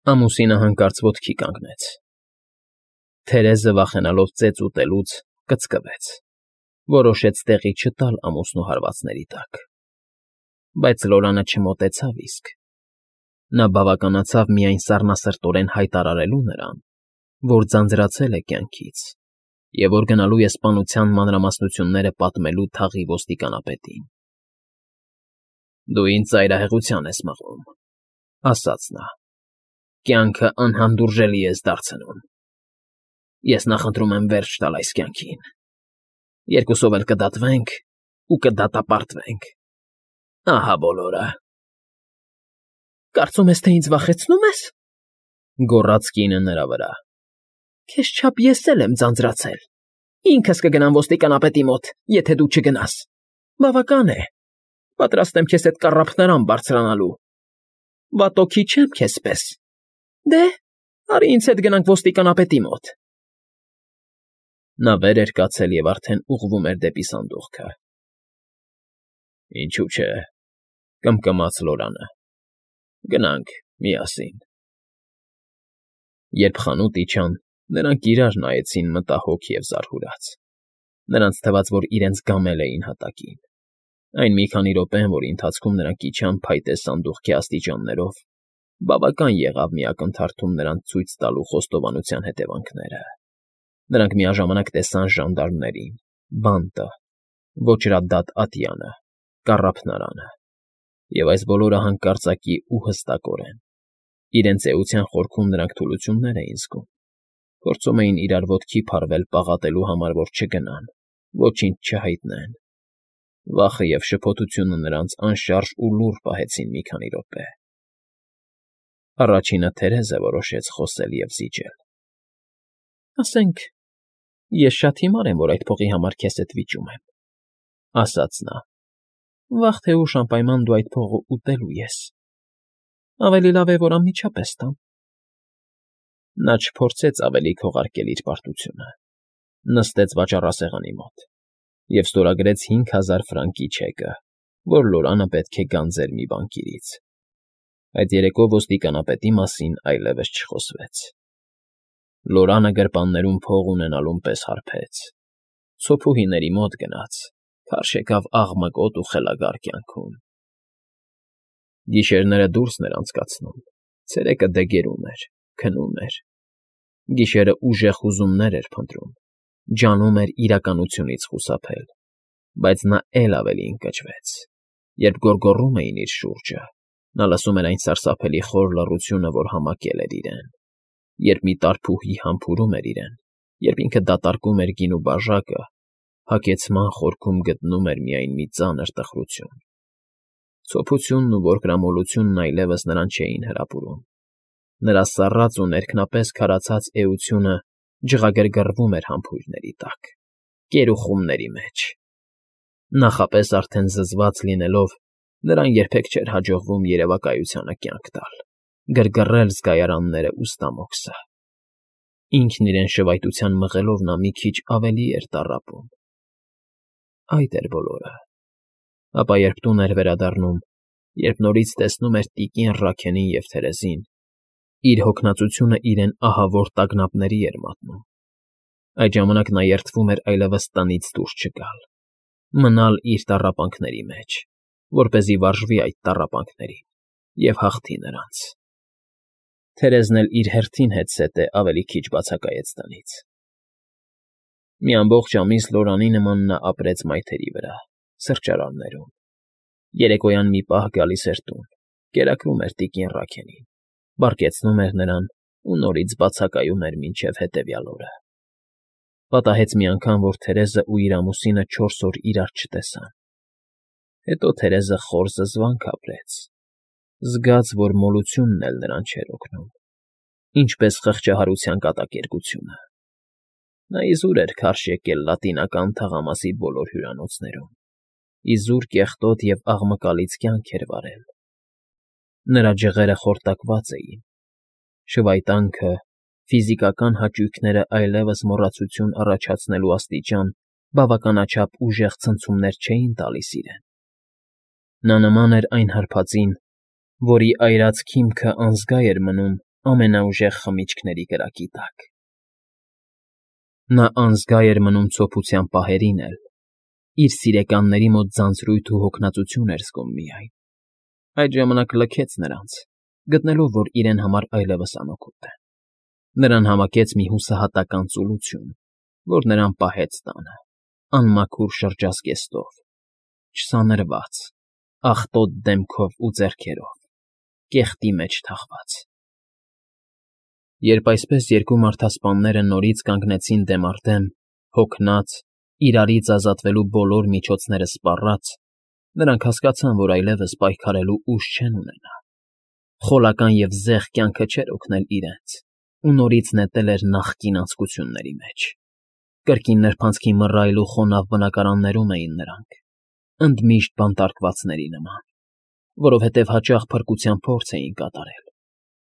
Ամուսինը հանկարծ ոտքի կանգնեց։ Թերեզը, վախենալով ծեծ ուտելուց, կծկվեց, որոշեց տեղի չտալ ամուսնու հարվածների տակ։ Բայց Լորանը չմոտեցավ իսկ. նա բավականացավ միայն սառնասրտորեն հայտարարելու նրան, որ ձանձրացել է կյանքից և որ գնալու է սպանության մանրամասնությունները պատմելու թաղի ոստիկանապետին։ «Դու ինձ ծայրահեղության ես մղում,֊ ասաց նա,֊ կյանքը անհանդուրժելի ես դարձնում։ Ես նախընտրում եմ վերջ տալ այս կյանքին։ Երկուսով էլ կդատվենք ու կդատապարտվենք։ Ահա բոլորը»։ «Կարծում ես, թե ինձ վախեցնում ես,֊ գոռաց կինը նրա վրա,֊ քեզ չափ ես էլ եմ ձանձրացել։ Ինքս կգնամ ոստիկանապետի մոտ, եթե դու չգնաս։ Բավական է, պատրաստ եմ քեզ հետ կառափնարան բարձրանալու։ Վատոքի չեմ քեզ պես։ Դե, արի ինձ հետ գնանք ոստիկանապետի մոտ»։ Նա վեր էր կացել և արդեն ուղղվում էր դեպի սանդուղքը։ «Ինչու չէ,֊ կմկմաց Լորանը,֊ գնանք միասին»։ Երբ խանութ իջան, նրանք իրար նայեցին մտահոգ և զարհուրած. նրանց թվաց, որ իրենց գամել էին հատակին։ Այն մի քանի րոպեն, որի ընթացքում նրանք իջան փայտե սանդուղքի աստիճաններով, բավական եղավ մի ակնթարթում նրանց ցույց տալու խոստովանության հետևանքները։ Նրանք միաժամանակ տեսան ժանդարմներին, բանտը, ոճրադատ ատյանը, կառափնարանը, և այս բոլորը հանկարծակի ու հստակորեն։ Իրենց էության խորքում նրանք թուլություններ էին զգում, փորձում էին իրար ոտքի փարվել պաղատելու համար, որ չգնան, ոչինչ չհայտնեն։ Վախը և շփոթությունը նրանց անշարժ ու լուռ պահեցին մի քանի րոպե։ Առաջինը Թերեզը որոշեց խոսել և զիջել։ «Ասենք, ես շատ հիմար եմ, որ այդ փողի համար քեզ հետ վիճում եմ,֊ ասաց նա,֊ վաղ թե ուշ անպայման դու այդ փողը ուտելու ես։ Ավելի լավ է, որ անմիջապես տամ»։ Նա չփորձեց ավելի քողարկել իր պարտությունը, նստեց վաճառասեղանի մոտ և ստորագրեց 5000 ֆրանկի չեկը, որ Լորանը պետք է գանձեր մի բանկիրից։ Այդ երեկո ոստիկանապետի մասին այլևս չխոսվեց։ Լորանը գրպաններում փող ունենալուն պես հարբեց, սոփուհիների մոտ գնաց, քարշ եկավ աղմկոտ ու խելագար կյանքում։ Գիշերները դուրսն էր անցկացնում, ցերեկը դե գերում էր, քնում էր։ Գիշերը ուժեղ հուզումներ էր փնտրում, ջանում էր իրականությունից խուսափել, բայց նա էլ ավելի ընկճվեց, երբ գոռգոռում էին իր շուրջը, նա լսում էր այն սարսափելի խոր լռությունը, որ համակել էր իրեն, երբ մի տարփուհի համբուրում էր իրեն, երբ ինքը դատարկում էր գինու բաժակը, հագեցման խորքում գտնում էր միայն մի ծանր տխրություն։ Սոփությունն ու որկրամոլությունն այլևս նրան չէին հրապուրում։ Նրա սառած ու ներքնապես քարացած էությունը ջղագրգռվում էր համբույրների տակ, կերուխումների մեջ։ Նախապես արդեն զզված լինելով, նրան երբեք չէր հաջողվում երևակայությանը կյանք տալ, գրգռել զգայարաններն ու ստամոքսը։ Ինքն իրեն շվայտության մղելով նա մի քիչ ավելի էր տառապում։ Այդ էր բոլորը։ Ապա երբ տուն էր վերադառնում, երբ նորից տեսնում էր տիկին Ռաքենին և Թերեզին, իր հոգնածությունը իրեն ահավոր տագնապների էր մատնում։ Այդ ժամանակ նա երդվում էր այլևս տնից դուրս չգալ, մնալ իր տառապանքների մեջ, որպեսզի վարժվի այդ տառապանքներին և հաղթի նրանց։ Թերեզն էլ իր հերթին հետզհետե ավելի քիչ բացակայեց տնից։ Մի ամբողջ ամիս Լորանի նման նա ապրեց մայթերի վրա, սրճարաններում։ Երեկոյան մի պահ գալիս էր տուն, կերակրում էր տիկին Ռաքենին, բարկեցնում էր նրան ու նորից բացակայում էր մինչև հետևյալ օրը։ Պատահեց մի անգամ, որ Թերեզը ու իր ամուսինը 4 օր իրար չտեսան։ Հետո Թերեզը խոր զզվանք ապրեց, զգաց, որ մոլությունն էլ նրան չէր օգնում, ինչպես խղճահարության կատակերգությունը։ Նա իզուր էր քարշ եկել Լատինական թաղամասի բոլոր հյուրանոցներում, իզուր կեղտոտ և աղմկալից կյանք էր վարել։ Նրա ջղերը խորտակված էին, շվայտանքը, ֆիզիկական հաճույքները այլևս մոռացություն առաջացնելու աստիճան բավականաչափ ուժեղ ցնցումներ չէին տալիս իրեն։ Նա նման էր այն հարբածին, որի այրած քիմքը անզգա էր մնում, ամենաուժեղ խմիչքների կրակի տակ։ Նա անզգա էր մնում ցոփության պահերին էլ, իր սիրեկանների մոտ ձանձրույթ ու հոգնածություն էր զգում միայն։ Այդ ժամանակ լքեց նրանց, գտնելով, որ իրեն համար այլևս անօգուտ են։ Նրան համակեց մի հուսահատական ծուլություն, որ նրան պահեց տանը, անմաքուր շրջազգեստով, չսանրված, աղտոտ դեմքով ու ձեռքերով, կեղտի մեջ թաղված։ Երբ այսպես երկու մարդասպանները նորից կանգնեցին դեմ առ դեմ, հոգնած, իրարից ազատվելու բոլոր միջոցները սպառած, նրանք հասկացան, որ այլևս պայքարելու ուժ չեն ունենա։ Խոլական և զեղ կյանքը չէր օգնել իրենց ու նորից նետել էր նախկին անձկությունների մեջ։ Կրկին նրբանցքի մռայլ ու խոնավ բնակարաններում էին նրանք, ընդմիշտ բանտարկվածների նման, որովհետև հաճախ փրկության փորձ էին կատարել,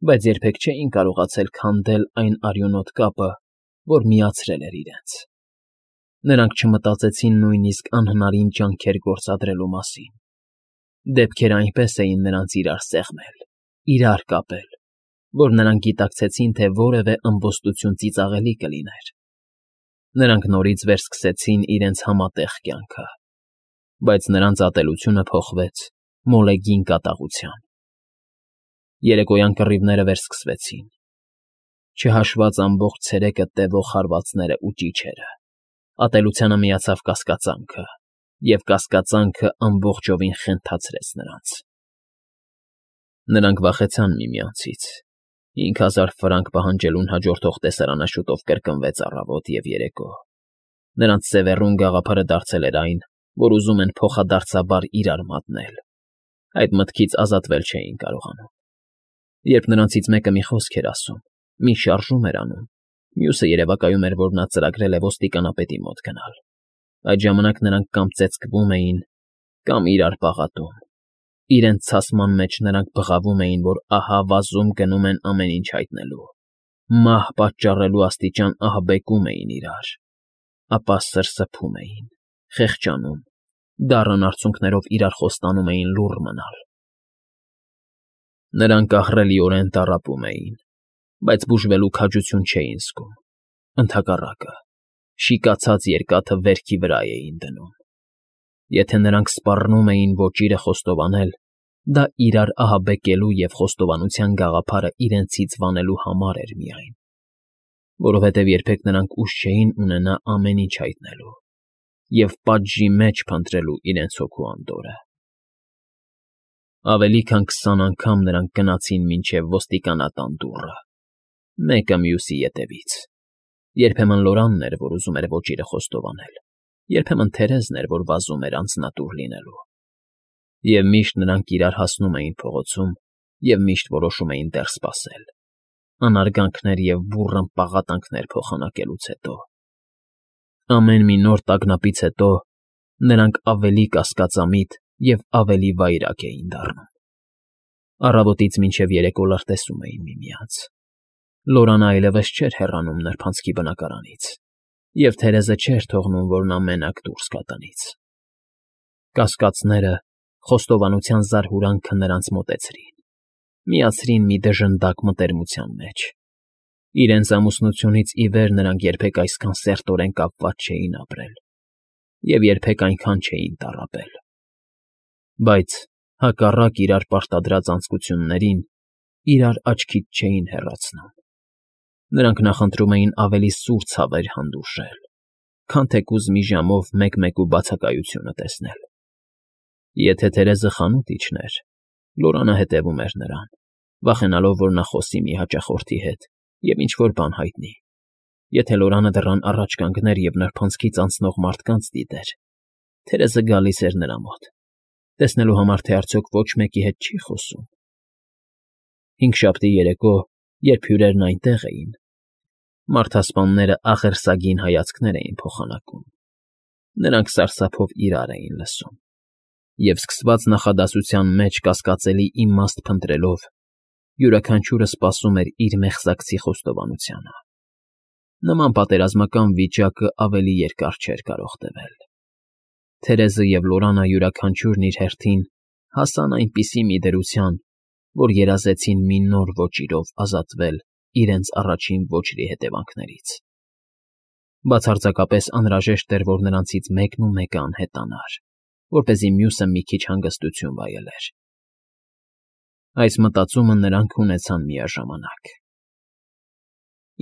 բայց երբեք չէին կարողացել քանդել այն արյունոտ կապը, որ միացրել էր իրենց։ Նրանք չմտածեցին նույնիսկ անհնարին ջանքեր գործադրելու մասին։ Դեպքերը այնպես էին նրանց իրար սեղմել, իրար կապել, որ նրանք գիտակցեցին, թե որևէ ըմբոստություն ծիծաղելի կլիներ։ Նրանք նորից վերսկսեցին իրենց համատեղ կյանքը, բայց նրանց ատելությունը փոխվեց մոլեգին կատաղության։ Երեկոյան կռիվները վերսկսվեցին, չհաշված ամբողջ ցերեկը տևող հարվածները ու ճիչերը։ Ատելությանը միացավ կասկածանքը, և կասկածանքը ամբողջովին խենթացրեց նրանց։ Նրանք վախեցան միմյանցից։ 5000 ֆրանկ պահանջելուն հաջորդող տեսարանը շուտով կրկնվեց առավոտ և երեկո։ Նրանց սևեռուն գաղափարը դարձել էր այն, որ ուզում են փոխադարձաբար իրար մատնել։ Այդ մտքից ազատվել չէին կարողանում։ Երբ նրանցից մեկը մի խոսք էր ասում, մի շարժում էր անում, մյուսը երևակայում էր, որ նա ծրագրել է ոստիկանապետի մոտ գնալ։ Այդ ժամանակ նրանք կամ ծեծկվում էին, կամ իրար պաղատում։ Իրենց ցասման մեջ նրանք բղավում էին, որ ահա վազում գնում են ամեն ինչ հայտնելու, մահ պատճառելու աստիճան ահաբեկում էին իրար, ապա սրսփում էին, խեղճանում, դառն արցունքներով իրար խոստանում էին լուռ մնալ։ Նրանք ահռելիորեն տառապում էին, բայց բուժվելու քաջություն չէին զգում։ Ընդհակառակը, շիկացած երկաթը վերքի վրա էին դնում։ Եթե նրանք սպառնում էին ոճիրը խոստովանել, դա իրար ահաբեկելու և խոստովանության գաղափարը իրենցից վանելու համար էր միայն, որովհետև երբեք նրանք ուժ չէին ունենա ամեն ինչ հայտնելու և պատժի մեջ փնտրելու իրենց հոգու անդորրը։ Ավելի քան 20 անգամ նրանք գնացին մինչև ոստիկանատան դուռը, մեկը մյուսի ետևից։ Երբեմն Լորանն էր, որ ուզում էր ոճիրը խոստովանել, երբեմն Թերեզն էր, որ վազում էր անձնատուր լինելու։ Եվ միշտ նրանք իրար հասնում էին փողոցում և միշտ որոշում էին դեռ սպասել, անարգանքներ և բուռն պաղատանքներ փոխանակելուց հետո։ Ամեն մի նոր տագնապից հետո նրանք ավելի կասկածամիտ և ավելի վայրագ էին դառնում։ Առավոտից մինչև երեկո լրտեսում էին միմյանց։ Լորանը այլևս չէր հեռանում նրբանցքի բնակարանից, և Թերեզը չէր թողնում, որ նա մենակ դուրս գա տնից։ Կասկածները, խոստովանության զարհուրանքը նրանց մոտեցրին, միացրին մի դժնդակ մտերմության մեջ։ Իրենց ամուսնությունից ի վեր նրանք երբեք այսքան սերտորեն կապված չէին ապրել և երբեք այնքան չէին տառապել։ Բայց, հակառակ իրար պարտադրած անձկություններին, իրար աչքից չէին հեռացնում։ Նրանք նախընտրում էին ավելի սուր ցավեր հանդուրժել, քան թեկուզ մի ժամով մեկ֊մեկու բացակայությունը տեսնել։ Եթե Թերեզը խանութ իջներ, Լորանը հետևում էր նրան, վախենալով, որ նա խոսի մի հաճախորդի հետ և ինչ֊որ բան հայտնի։ Եթե Լորանը դռան առաջ կանգներ և նրբանցքից անցնող մարդկանց դիտեր, Թերեզը գալիս էր նրա մոտ, տեսնելու համար, թե արդյոք ոչ մեկի հետ չի խոսում։ Հինգշաբթի երեկո, երբ հյուրերն այնտեղ էին, մարդասպանները աղերսագին հայացքներ էին փոխանակում։ Նրանք սարսափով իրար էին լսում և, սկսված նախադասության մեջ կասկածելի իմաստ փնտրելով, յուրաքանչյուրը սպասում էր իր մեղսակցի խոստովանությանը։ Նման պատերազմական վիճակը ավելի երկար չէր կարող տևել։ Թերեզը և Լորանը յուրաքանչյուրն իր հերթին հասան այնպիսի մի դրության, որ երազեցին մի նոր ոճիրով ազատվել իրենց առաջին ոճրի հետևանքներից։ Բացարձակապես անհրաժեշտ էր, որ նրանցից մեկն ու մեկը անհետանար, որպեսզի մյուսը մի քիչ հանգստություն վայելեր։ Այս մտածումը նրանք ունեցան միաժամանակ։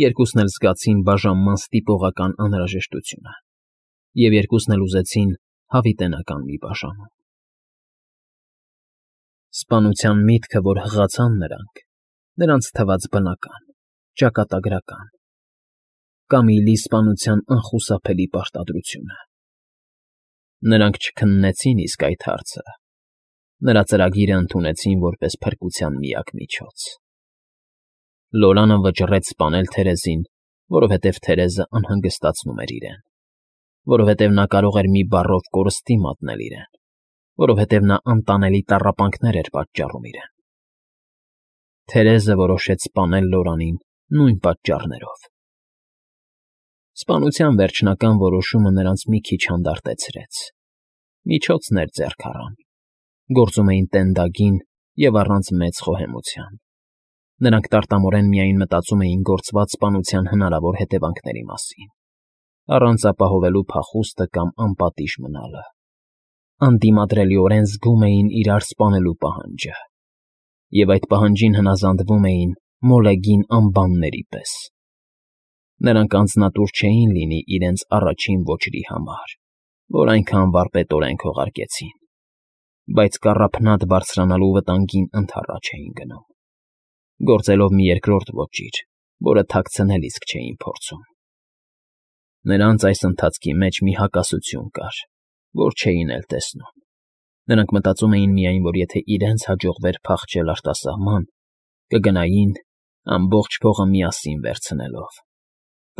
Երկուսն էլ զգացին բաժանման ստիպողական անհրաժեշտությունը, և երկուսն էլ ուզեցին հավիտենական մի բաժանում։ Սպանության միտքը, որ հղացան նրանց թվաց բնական, ճակատագրական, Կամիլի սպանության անխուսափելի պարտադրությունը։ Նրանք չքննեցին իսկ այդ հարցը, նրա ծրագիրը ընդունեցին որպես փրկության միակ միջոց։ Լորանը վճռեց սպանել Թերեզին, որովհետև Թերեզը անհանգստացնում էր իրեն, որովհետև նա կարող էր մի բառով կորստի մատնել իրեն, որովհետև նա անտանելի տառապանքներ էր պատճառում իրեն։ Թերեզը որոշեց սպանել Լորանին նույն պատճառներով։ Սպանության վերջնական որոշումը նրանց մի քիչ հանդարտեցրեց։ Միջոցներ ձեռք առան, գործում էին տենդագին և առանց մեծ խոհեմության։ Նրանք տարտամորեն միայն մտածում էին գործված սպանության հնարավոր հետևանքների մասին, առանց ապահովելու փախուստը կամ անպատիժ մնալը։ Անդիմադրելիորեն զգում էին իրար սպանելու պահանջը, և այդ պահանջին հնազանդվում էին մոլեգին անբանների պես։ Նրանք անձնատուր չէին լինի իրենց առաջին ոճրի համար, որ այնքան վարպետորեն քողարկեցին, բայց կառափնատ բարձրանալու վտանգին ընդառաջ էին գնում, գործելով մի երկրորդ ոճիր, որը թաքցնել իսկ չէին փորձում։ Նրանց այս ընթացքի մեջ մի հակասություն կար, որ չէին էլ տեսնում։ Նրանք մտածում էին միայն, որ եթե իրենց հաջողվեր փախչել արտասահման, կգնային, ամբողջ փողը միասին վերցնելով։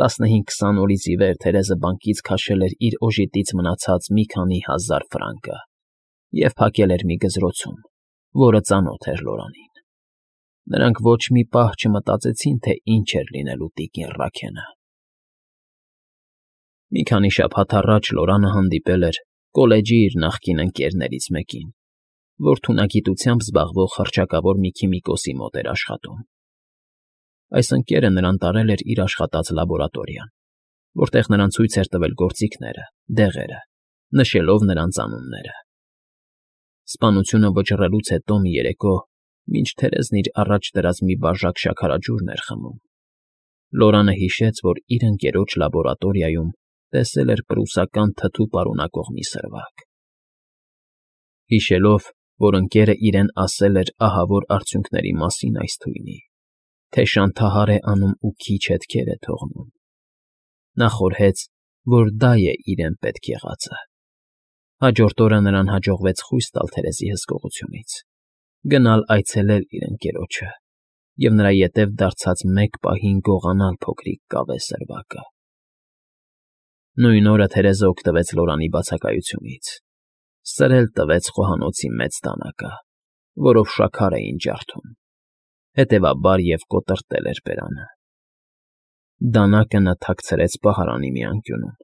15-20 օրից ի վեր Թերեզը բանկից քաշել էր իր օժիտից մնացած մի քանի հազար ֆրանկը և փակել էր մի գզրոցում, որը ծանոթ էր Լորանին։ Նրանք ոչ մի պահ չմտածեցին, թե ինչ էր լինելու տիկին Ռաքենը։ Մի քանի շաբաթ առաջ Լորանը հանդիպել էր կոլեջի իր նախկին ընկերներից մեկին, որ թունագիտությամբ զբաղվող հռչակավոր մի քիմիկոսի մոտ էր աշխատում։ Այս ընկերը նրան տարել էր իր աշխատած լաբորատորիան, որտեղ նրան ցույց էր տվել գործիքները, դեղերը, նշելով նրանց անունները։ Սպանությունը վճռելուց հետո մի երեկո, մինչ Թերեզն իր առաջ դրած մի բաժակ շաքարաջուրն էր խմում, Լորանը հիշեց, որ իր ընկերոջ լաբորատորիայում տեսել էր պրուսական թթու պարունակող մի սրվակ։ Հիշելով, որ ընկերը իրեն ասել էր ահավոր արդյունքների մասին այս թույնի, թե շանթահար է անում ու քիչ հետքեր է թողնում, նա խորհեց, որ դա է իրեն պետք եղածը։ Հաջորդ օրը նրան հաջողվեց խույս տալ Թերեզի հսկողությունից, գնալ այցելել իր ընկերոջը և նրա ետև դարձած մեկ պահին գողանալ փոքրիկ կավե սրվակը։ Նույն օրը Թերեզը օգտվեց Լորանի բացակայությունից, սրել տվեց խոհանոցի մեծ դանակը, որով շաքար էին ջարդում, հետևաբար և կոտրտել էր բերանը։ Դանակը նա թաքցրեց պահարանի մի անկյունում,